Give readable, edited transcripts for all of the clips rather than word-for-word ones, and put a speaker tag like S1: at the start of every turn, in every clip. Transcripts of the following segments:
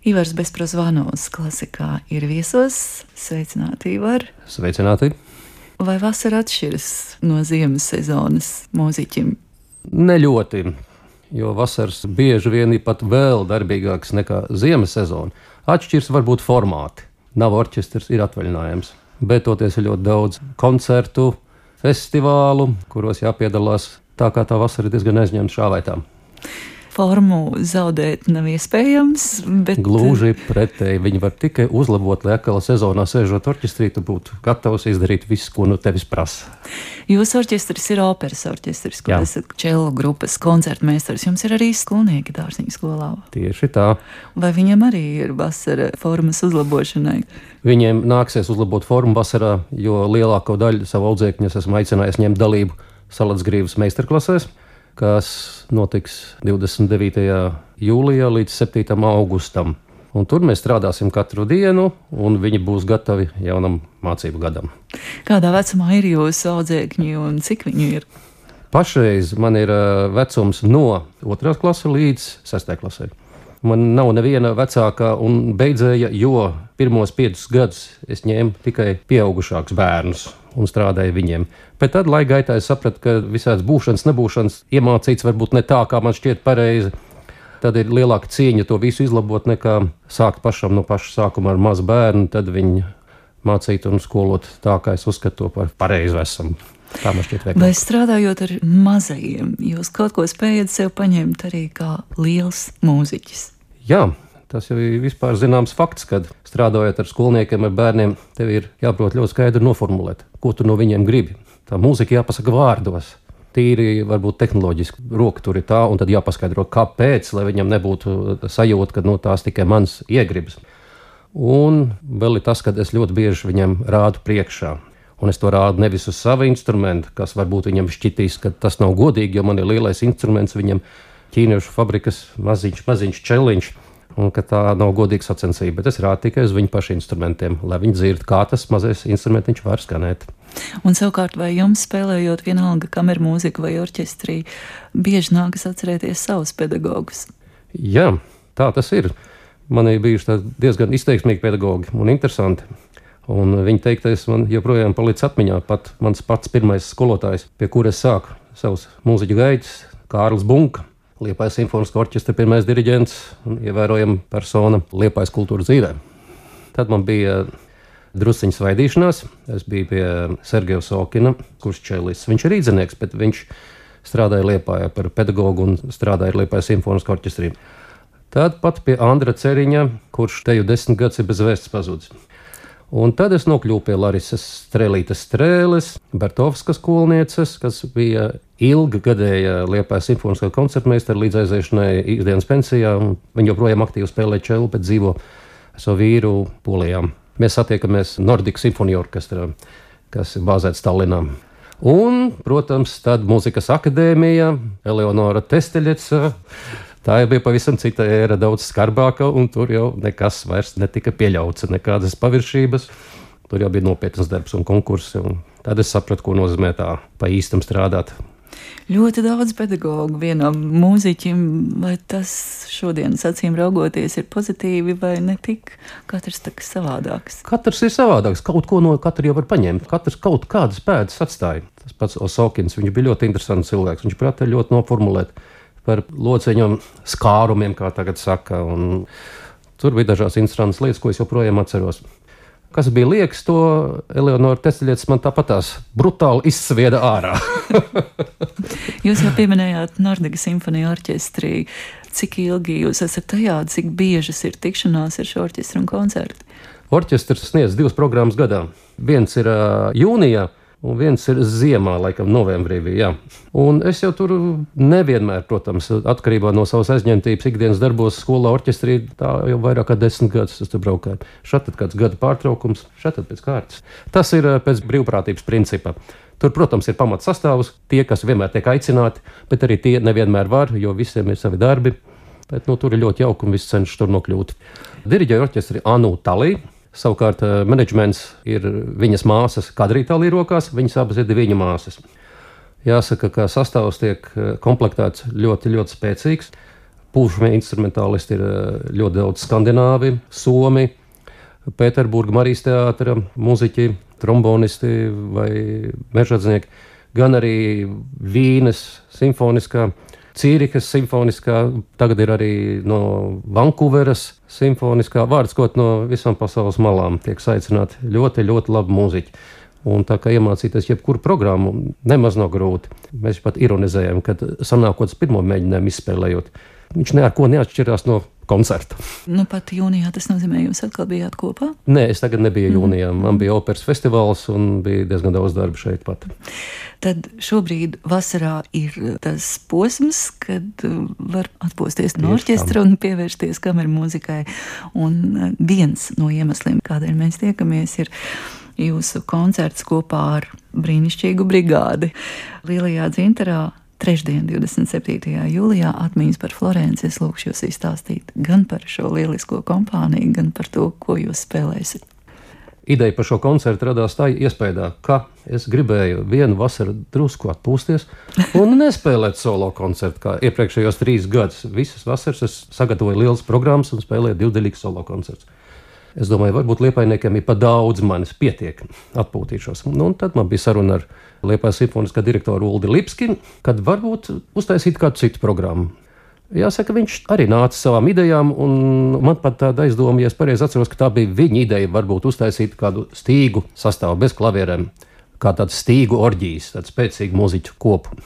S1: Ivars Bezprozvanovs klasikā ir viesos. Sveicināti, Ivar!
S2: Sveicināti!
S1: Vai vasara atšķiras no ziemas sezonas mūziķim?
S2: Ne ļoti, jo vasaras bieži vien ir pat vēl darbīgāks nekā ziemas sezona. Atšķirs varbūt formāti. Nav orķestrs, ir atvaļinājums. Bet toties ir ļoti daudz koncertu, festivālu, kuros jāpiedalās tā kā tā vasara ir diezgan aizņemta šā vai tā.
S1: Formu zaudēt nav iespējams, bet...
S2: Gluži pretēji, viņi var tikai uzlabot, lai atkal sezonā sēžot orķestrī, tu būtu gatavs izdarīt visu, ko no tevis prasa.
S1: Jūsu orķestris ir operas orķestris, kur esat čelo grupas koncertmeistars. Jums ir arī skolnieki Dārziņu skolā.
S2: Tieši tā.
S1: Vai viņiem arī ir vasara formas uzlabošanai?
S2: Viņiem nāksies uzlabot formu vasarā, jo lielāko daļu savu audzēkņu esmu aicinājis ņemt dalību Salatsgrīvas meistarklasēs, kas notiks 29. jūlijā līdz 7. augustam. Un tur mēs strādāsim katru dienu, un viņi būs gatavi jaunam mācību gadam.
S1: Kādā vecumā ir jūsu audzēkņi un cik viņi ir?
S2: Pašreiz man ir vecums no 2. klases līdz 6. klasē. Man nav neviena vecākā un beidzēja, jo pirmos 5 gadus es ņēmu tikai pieaugušākus bērnus un strādāju viņiem. Bet tad, laika gaitā, es sapratu, ka visādas būšanas, nebūšanas iemācīts varbūt ne tā, kā man šķiet pareizi. Tad ir lielāka cieņa to visu izlabot, nekā sākt pašam no paša sākuma ar mazu bērnu, tad viņu mācīt un skolot tā, kā es uzskatu to par pareizu esam. Tā man šķiet veiklāk.
S1: Vai strādājot ar mazajiem, jūs kaut ko spējat sev paņemt arī kā liels mūziķis?
S2: Jā. Tas jau ir vispār zināms fakts, kad strādājot ar skolniekiem, ar bērniem, tev ir jāprot ļoti skaidri noformulēt, ko tu no viņiem gribi. Tā mūzika jāpasaka vārdos. Tīri varbūt tehnoloģiski roka tur ir tā, un tad jāpaskaidro, kāpēc, lai viņam nebūtu sajūta, ka tās tikai mans iegribas. Un vēl ir tas, ka es ļoti bieži viņam rādu priekšā. Un es to rādu nevis uz savu instrumentu, kas varbūt viņam šķitīs, ka tas nav godīgi, jo man ir lielais instruments, viņam ķīniešu fabrikas maziņš čeliņš. Un ka tā nav godīga sacensība, bet es rādu tikai uz viņu pašu instrumentiem, lai viņi dzird, kā tas mazais instrumentiņš var skanēt.
S1: Un savukārt, vai jums spēlējot vienalga kameru mūziku vai orķestrī, bieži nākas atcerēties savus pedagogus?
S2: Jā, tā tas ir. Man ir bijuši diezgan izteiksmīgi pedagogi un interesanti. Un viņa teiktais man joprojām palicis atmiņā, pat mans pats pirmais skolotājs, pie kura es sāku savus mūziķu gaitas, Kārlis Bunka. Liepājas simfoniskā orķestra pirmais diriģents un ievērojama persona Liepājas kultūras dzīvē. Tad man bija drusciņa svaidīšanās. Es biju pie Sergeja Sokina, kurš čelists. Viņš ir rīdzinieks, bet viņš strādāja Liepājā par pedagogu un strādāja Liepājas simfoniskā orķestrī. Tad pat pie Andra Ceriņa, kurš te jau 10 gadus ir bez vēsts pazudis. Un tad es nokļuvu pie Larisas Strēlītes Strēles, Bertovskas skolnieces, kas bija ilggadēja Liepājas simfoniskā koncertmeistara līdz aiziešanai ikdienas pensijā. Viņa joprojām aktīvi spēlē čelu, bet dzīvo savu vīru Polijā. Mēs satiekamies Nordic Symphony Orchestrā, kas ir bāzēts Tallinā. Un, protams, tad Mūzikas akadēmija, Eleonora Testeļeca. Tā jau bija pavisam cita ēra, daudz skarbāka, un tur jau nekas vairs netika pieļauts, nekādas paviršības. Tur jau bija nopietnas darbs un konkursi, un tad es sapratu, ko nozīmē tā pa īstam strādāt.
S1: Ļoti daudz pedagogu vienam mūziķim, vai tas šodienas acīm raugoties ir pozitīvi vai ne tik? Katrs tā savādāks.
S2: Katrs ir savādāks, kaut ko no katra jau var paņemt. Katrs kaut kādas pēdas atstāja. Tas pats Osokins, viņš bija ļoti interesants cilvēks, viņš prātā ļoti noformulēt par lociņiem skārumiem, kā tagad saka. Un tur bija dažās interesantas lietas, ko es joprojām atceros. Kas bija liekas, to Eleonora Testeļeca man tāpatās brutāli izsvieda ārā.
S1: Jūs jau pieminējāt Nordic Symphony orķestrī. Cik ilgi jūs esat tajā, cik biežas ir tikšanās ar šo orķestru un koncerti?
S2: Orķestrs sniedz 2 programmas gadā. Viens ir jūnijā, un viens ir ziemā, laikam novembrī bija, jā. Un es jau tur nevienmēr, protams, atkarībā no savas aizņemtības ikdienas darbos skolā orķestrī, tā jau vairāk kā 10 gadus es tur braukāju. Šad tad kāds gada pārtraukums, šad tad pēc kārtas. Tas ir pēc brīvprātības principa. Tur, protams, ir pamats sastāvs, tie, kas vienmēr tiek aicināti, bet arī tie nevienmēr var, jo visiem ir savi darbi. Bet tur ir ļoti jauki un viss cenšas tur nokļūt. Diriģēja orķestri Anu Talī. Savukārt menedžments ir viņas māsas Kadrītālī rokās, viņas abas ir viņa māsas. Jāsaka, ka sastāvs tiek komplektēts ļoti, ļoti spēcīgs. Pūšamie instrumentālisti ir ļoti daudz skandināvi, somi, Pēterburga Marijas teātra muziķi, trombonisti vai mežadznieki, gan arī Vīnes simfoniskā, Cīrikas simfoniskā, tagad ir arī no Vankūveras simfoniskā, vārds kaut no visām pasaules malām tiek saicināti ļoti, ļoti labi mūziķi. Un tā kā iemācīties jebkuru programmu nemaz nav grūti. Mēs pat ironizējam, kad sanākot pirmo mēģinājumu izspēlējot, viņš neko neatšķirās no koncerta.
S1: Nu, pat jūnijā tas nozīmē, jūs atkal bijāt kopā?
S2: Nē, es tagad nebiju jūnijā. Man bija operas festivāls un bija diezgan daudz darba šeit pat.
S1: Tad šobrīd vasarā ir tas posms, kad var atpūsties no orķestra un pievērsties kameru mūzikai. Un viens no iemesliem, kādēļ mēs tiekamies, ir jūsu koncerts kopā ar brīnišķīgu brigādi Lielajā Dzintarā. Trešdien, 27. jūlijā, atmiņas par Florenci. Es lūkšu jūs izstāstīt gan par šo lielisko kompāniju, gan par to, ko jūs spēlēsiet.
S2: Ideja par šo koncertu radās tā iespējā, ka es gribēju vienu vasaru drusku atpūsties un nespēlēt solo koncertu, kā iepriekšējos 3 gadus. Visas vasaras es sagatavoju lielas programmas un spēlēju 2-daļīgus solo koncertus. Es domāju, varbūt Liepājniekiem ir pa daudz manis pietiek atpūtīšos. Nu, un tad man bija saruna ar Liepājas simfoniskā direktoru Uldi Lipski, kad varbūt uztaisīt kādu citu programmu. Jāsaka, viņš arī nāca savām idejām, un man pat tāda aizdoma, ja es pareizi atceros, ka tā bija viņa ideja, varbūt uztaisīt kādu stīgu sastāvu bez klavierēm, kā tādu stīgu orģijas, tādu spēcīgu mūziķu kopu.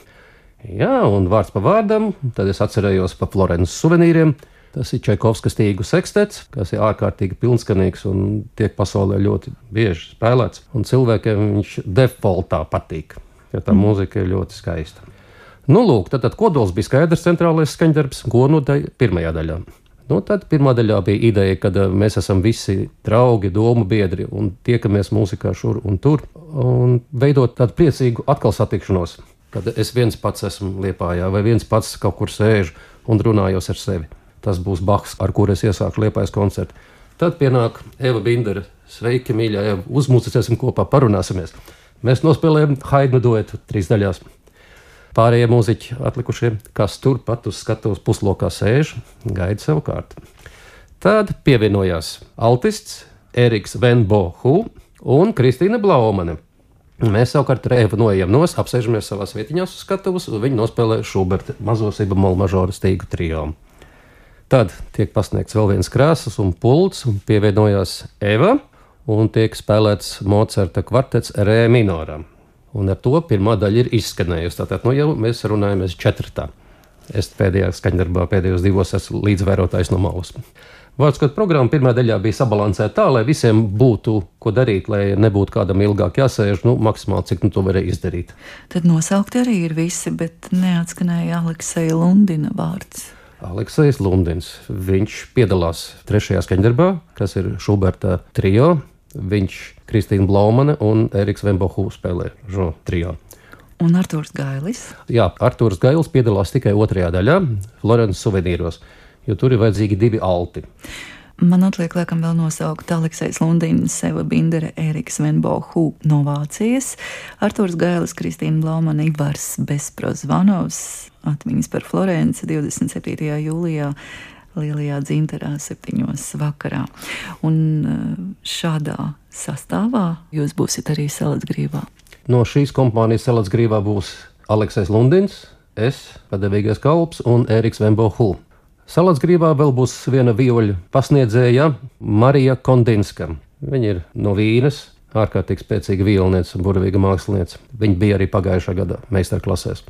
S2: Jā, un vārds pa vārdam, tad es atcerējos pa Florences suvenīriem. Tas ir Čaikovska stīgu sekstets, kas ir ārkārtīgi pilnskanīgs un tiek pasaulē ļoti bieži spēlēts. Un cilvēkiem viņš defaultā patīk, jo tā mūzika ir ļoti skaista. Nu, lūk, tad kodols bija skaidrs, centrālais skaņdarbs, ko nodaļa pirmajā daļā. Nu, tad pirmā daļā bija ideja, ka mēs esam visi draugi, domu biedri un tiekamies mūzikā šur un tur un veidot tādu priecīgu atkal satikšanos, kad es viens pats esmu Liepājā vai viens pats kaut kur sēžu un runājos ar sevi. Tas būs Bahs, ar kuru es iesāku Liepājas koncertu. Tad pienāk Eva Bindere. Sveiki, mīļā Eva, uzmūcēsim kopā, parunāsimies. Mēs nospēlējam Haidnu duetu 3 daļās. Pārējie mūziķi atlikušie, kas turpat uz skatuves puslokā sēž, gaida savu kārtu. Tad pievienojās altists Eriks Van Bohu un Kristīna Blaumane. Mēs savukārt ar Evu noejam nos, apsēžamies savās vietiņās uz skatuves, un viņi nospēlē Šuberta mazo si bemolu mažora stīgu trio. Tad tiek pasniegts vēl viens krāsas un pults, un pievienojās Eva, un tiek spēlēts Mocarta kvartets Re minorā. Un ar to pirmā daļa ir izskanējusi. Tātad, jau mēs runājamies 4. Es pēdējā skaņdarbā pēdējos 2 esmu līdzvērotājs no malas. Vārds, kad programma pirmā daļā bija sabalansēta tā, lai visiem būtu ko darīt, lai nebūtu kādam ilgāk jāsēž, maksimāli cik to varēja izdarīt.
S1: Tad nosaukti arī ir visi, bet neatskanēja Alekseja Lundina vārds.
S2: Aleksejs Lundins. Viņš piedalās 3. skaņdarbā, kas ir Šuberta trio. Viņš, Kristīna Blaumane un Eriks Van Bohu spēlē šo trio.
S1: Un Artūrs Gailis?
S2: Jā, Artūrs Gailis piedalās tikai 2. daļā, Florences suvenīros, jo tur ir vajadzīgi 2 alti.
S1: Man atliek laikam vēl nosaukt Aleksejs Lundins, Eva Bindere, Eriks Van Bohu no Vācijas, Artūrs Gailis, Kristīna Blaumane, Ivars Besprozvanovs, atmiņas par Florenci 27. jūlijā Lielajā Dzintarā 7. vakarā. Un šādā sastāvā jūs būsiet arī Salacgrīvā.
S2: No šīs kompānijas Salacgrīvā būs Aleksejs Lundins, es, padevīgais kalps un Eriks Van Bohu. Salacgrīvā vēl būs viena vioļu pasniedzēja Marija Kondinska. Viņa ir no Vīnes, ārkārtīgi spēcīga violniece un burvīga mākslinieca. Viņa bija arī pagājušā gada meistarklasēs.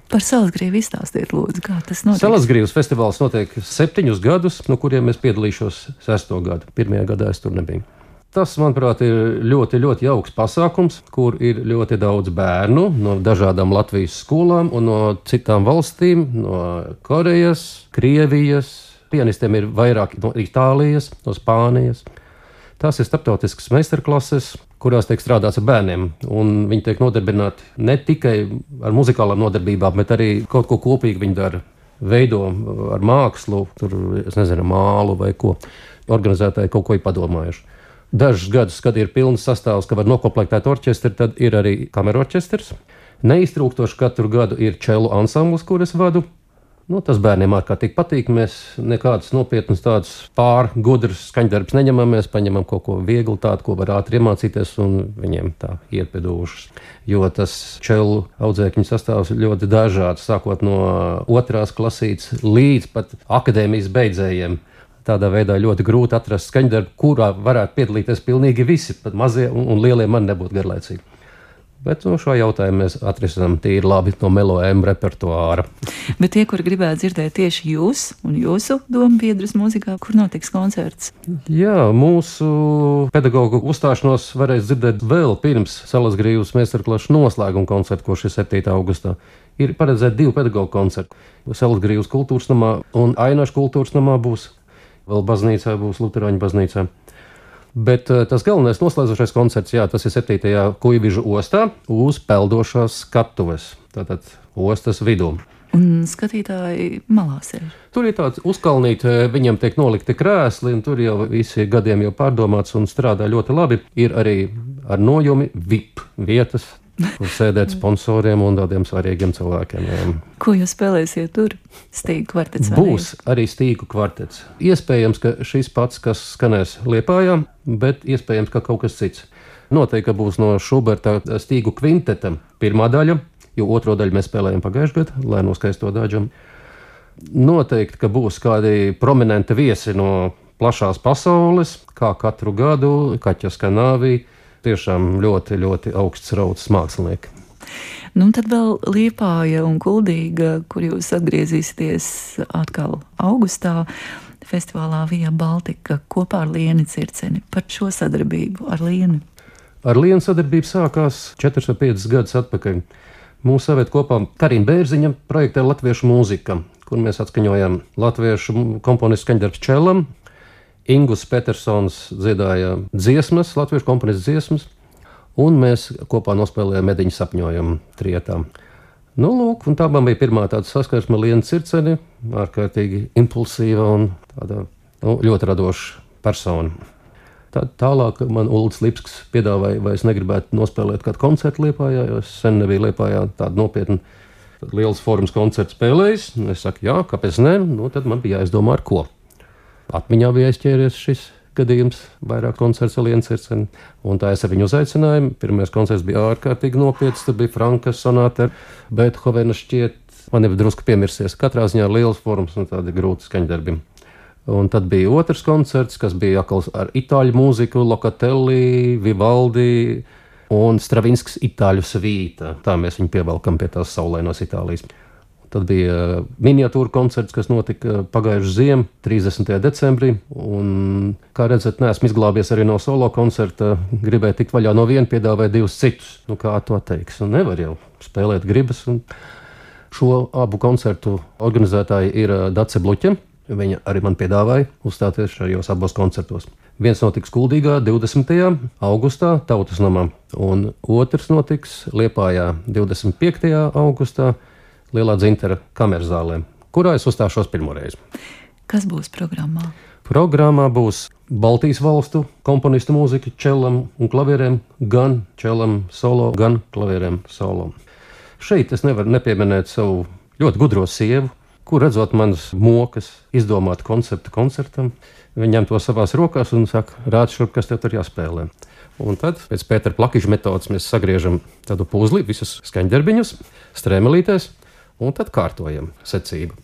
S1: Par Salacgrīvu izstāstiet, lūdzu, kā tas notiek?
S2: Salacgrīvas festivāls notiek 7 gadus, no kuriem es piedalīšos 6. gadu. 1. gadā es tur nebiju. Tas, manuprāt, ir ļoti, ļoti jauks pasākums, kur ir ļoti daudz bērnu no dažādām Latvijas skolām un no citām valstīm, no Korejas, Krievijas. Pianistiem ir vairāk no Itālijas, no Spānijas. Tās ir starptautiskas meistarklases, kurās tiek strādāts ar bērniem. Un viņi tiek nodarbināti ne tikai ar muzikālām nodarbībām, bet arī kaut ko kopīgi viņi dara. Veido ar mākslu, tur, es nezinu, mālu vai ko. Organizētāji kaut ko ir padomājuši. Dažus gadus, kad ir pilns sastāvs, ka var nokoplektēt orķestri, tad ir arī kamerorķestrs. Neiztrūkstoši katru gadu ir čelu ansamblis, kur es vadu. Tas bērniem ārkārtīgi patīk. Mēs nekādus nopietnus tādus pārgudrus skaņdarbus neņemam. Mēs paņemam kaut ko vieglu, tādu, ko var ātri iemācīties, un viņiem tā iet pie dūšas. Jo tas čelu audzēkņu sastāvs ļoti dažāds, sākot no 2. klasītes līdz pat akadēmijas beidzējiem. Tādā veidā ļoti grūti atrast skaņdarbu, kurā varētu piedalīties pilnīgi visi, pat mazie un lielie man nebūtu garlaicīgi. Bet šo jautājumu mēs atrisinām tīri labi no melojuma repertuāra.
S1: Bet tie, kuri gribētu dzirdēt tieši jūs un jūsu dombiedrus mūzikā, kur notiks koncerts?
S2: Jā, mūsu pedagoģu uzstāšanos varēs dzirdēt vēl pirms Salasgrīvas meistarklases noslēguma koncerta, kurš ir 7. augustā. Ir paredzēti 2 pedagoģu koncerti. Salasgrīvas kultūras namā un Ainašu kultūras namā būs. Vēl baznīcā būs Luterāņu baznīcā. Bet tas galvenais noslēdzošais koncerts, tas ir 7. Kuivižu ostā uz peldošās skatuves, tātad ostas vidū.
S1: Un skatītāji malā sēž.
S2: Tur ir tāds uzkalnīt, viņam tiek nolikti krēsli, un tur jau visi gadiem jau pārdomāts un strādā ļoti labi. Ir arī ar nojumi VIP vietas, kur sēdēt sponsoriem un tādiem svarīgiem cilvēkiem.
S1: Ko jūs spēlēsiet tur? Stīgu kvartets?
S2: Būs arī stīgu kvartets. Iespējams, ka šis pats, kas skanēs Liepājā, bet iespējams, ka kaut kas cits. Noteikti būs no Šuberta stīgu kvinteta pirmā daļa, jo otro daļu mēs spēlējam pagājušajā gadā, lai noskaisto daļam. Noteikti, ka būs kādi prominenti viesi no plašās pasaules, kā katru gadu, Kaķa Skanāvī. Tiešām ļoti, ļoti augsts raudas mākslinieki.
S1: Tad vēl Liepāja un Kuldīga, kur jūs atgriezīsieties atkal augustā, festivālā Via Baltica kopā ar Lieni Circeni. Par šo sadarbību ar Lieni?
S2: Ar Lienu sadarbību sākās 4 vai 5 gadus atpakaļ. Mūsu savēt kopā Karina Bērziņa projektē Latviešu mūzika, kur mēs atskaņojam latviešu komponistu skaņdarbs čelam. Ingus Petersons dziedāja dziesmas, latviešu komponistu dziesmas, un mēs kopā nospēlējām Mediņu sapņojumu trietā. Un tā man bija pirmā tāda saskarsme ar Lienu Circeni, ārkārtīgi impulsīva un tāda ļoti radoša persona. Tālāk man Ulds Lipsks piedāvāja, vai es negribētu nospēlēt kādu koncertu Liepājā, jo es sen nebiju Liepājā tādu nopietnu liels forums koncertu spēlējis. Es saku, jā, kāpēc ne? Tad man bija jāizdomā ar ko. Atmiņā bija aizķēries šis gadījums, vairāk koncerts ar Lienu Circeni, un tā es ar viņu uzaicinājumu. Pirmais koncerts bija ārkārtīgi nopietns, tad bija Franka sonāta, Beethovena šķiet, man jau drusku piemirsies. Katrā ziņā liels forums un tādi grūti skaņdarbi. Un tad bija otrs koncerts, kas bija ar itāļu mūziku, Locatelli, Vivaldi un Stravinskis itāļu svīta. Tā mēs viņu pievelkam pie tās saulainos Itālijas. Tad bija miniatūra koncerts, kas notika pagājušajā ziemā, 30. decembrī. Un, kā redzat, neesmu izglābies arī no solo koncerta. Gribēju tikt vaļā no viena, piedāvāja 2 citus. Kā to teiks? Nevar jau spēlēt gribas. Un šo abu koncertu organizētāji ir Dace Bluķe. Viņa arī man piedāvāja uzstāties šajos abos koncertos. Viens notiks Kuldīgā 20. augustā Tautas namā, un otrs notiks Liepājā 25. augustā Lielā Dzintara kamerzālē, kurā es uzstāšos pirmoreiz.
S1: Kas būs programmā?
S2: Programmā būs Baltijas valstu komponistu mūzika čelam un klavierēm, gan čelam solo, gan klavierēm solo. Šeit es nevaru nepieminēt savu ļoti gudro sievu, kur redzot manas mokas izdomāt konceptu koncertam. Viņa ņem to savās rokās un saka, rād šurp, kas tev tur jāspēlē. Un tad pēc Pētera Plakiša metodas mēs sagriežam tādu puzli, visus skaņdarbiņus, strēmelītēs, un tad kārtojam secību.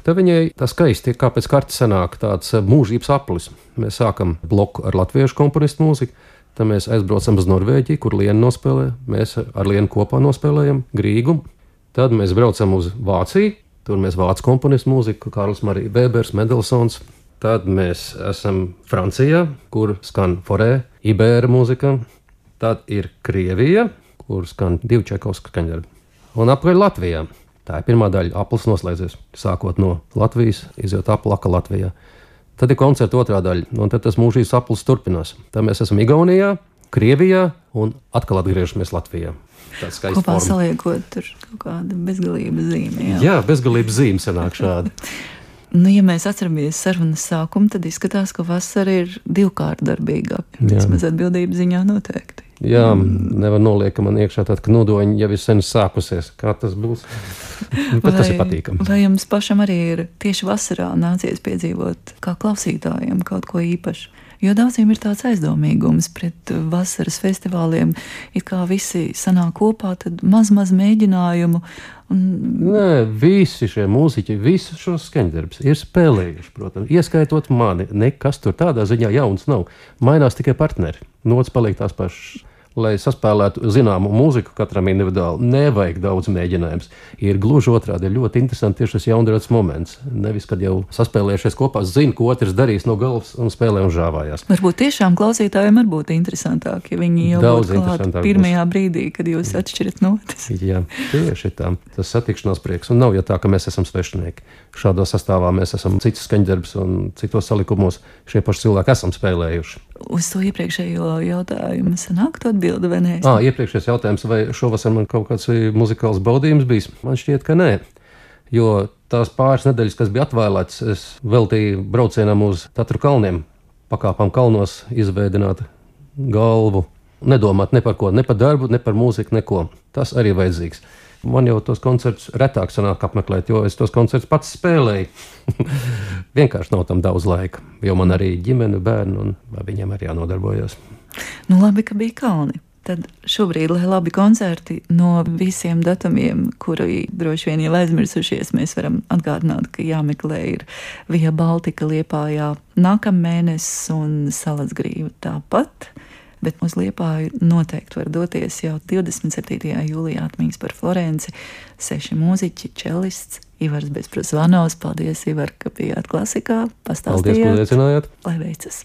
S2: Te viņai tā skaisti, kā pēc kartes sanāk tāds mūžības aplis. Mēs sākam bloku ar latviešu komponistu mūziku, tad mēs aizbraucam uz Norvēģiju, kur Liena nospēlē. Mēs ar Lienu kopā nospēlējam Grīgu. Tad mēs braucam uz Vāciju, tur mēs vācu komponistu mūziku, Kārlis Marija Bēbers, Mendelsons. Tad mēs esam Francijā, kur skan Forē, Ibēra mūzika. Tad ir Krievija, kur skan 2 Čekovska skaņdarbi. Un apkārt Latvijā. Tā ir pirmā daļa, aplis noslēdzies, sākot no Latvijas, izjūt aplaka Latvijā. Tad ir koncerta otrā daļa, un tad tas mūžības aplis turpinās. Tad mēs esam Igaunijā, Krievijā un atkal atgriežamies Latvijā.
S1: Kopā saliekot tur kaut kādu bezgalības zīmi.
S2: Jā, bezgalības zīme sanāk šādi.
S1: Nu, ja mēs atceramies sarunas sākumu, tad izskatās, ka vasara ir divkārtdarbīga. Vismaz atbildības ziņā noteikti.
S2: Jā, nevar noliekt, ka man iekšā tāda knodoņa jau ir sen sākusies. Kā tas būs? Bet tas ir patīkami.
S1: Vai jums pašam arī ir tieši vasarā nācies piedzīvot kā klausītājiem kaut ko īpašu? Jo daudziem ir tāds aizdomīgums pret vasaras festivāliem, it kā visi sanāk kopā, tad maz mēģinājumu.
S2: Nē, visi šie mūziķi, visus šos skaņdarbus ir spēlējuši, protams, ieskaitot mani. Nekas tur tādā ziņā jauns nav. Mainās tikai partneri. Nots paliek tās pašas. Lai saspēlētu zināmu mūziku katram individuāli, nevajag daudz mēģinājums. Ir gluži otrādi, ir ļoti interesanti tieši šis jaundrats moments. Nevis, kad jau saspēlējušies kopā, zina, ko otrs darīs no galvas un spēlē un žāvājās.
S1: Varbūt tiešām klausītājiem var būt interesantāk, ja viņi jau būtu klāt pirmajā brīdī, kad jūs atšķirat notis.
S2: Jā, tieši tā. Tas satikšanās prieks. Un nav jau tā, ka mēs esam svešinieki. Šādā sastāvā mēs esam citus skaņdarbus un citos salikumos šie paši cilvēki esam spēlējuši.
S1: Uz to iepriekšējo jautājumu sanāktu atbildi, vai nē?
S2: Iepriekšējais jautājums, vai šovasar man kaut kāds muzikāls baudījums bijis? Man šķiet, ka nē. Jo tās pāris nedēļas, kas bija atvēlētas, es veltīju braucienam uz Tatru kalniem, pakāpām kalnos, izveidināt galvu, nedomāt ne par ko, ne par darbu, ne par mūziku, neko. Tas arī vajadzīgs. Man jau tos koncertus retāk sanāk apmeklēt, jo es tos koncertus pats spēlēju. Vienkārši nav tam daudz laika, jo man arī ģimene, bērni, un viņiem arī jānodarbojas.
S1: Nu labi, ka bija kalni. Tad šobrīd, lai labi koncerti no visiem datumiem, kuri droši vien jau aizmirsušies, mēs varam atgādināt, ka jāmeklē ir Via Baltica Liepājā nākamēnes un Salacgrīva tāpat. Bet uz Liepāju noteikti var doties jau 27. jūlijā atmiņas par Florenci. 6 mūziķi, čelists, Ivars Bezprasvanovs. Paldies, Ivar, ka bijāt klasikā. Pastāstījāt.
S2: Paldies, ka uzaicinājāt.
S1: Lai veicas!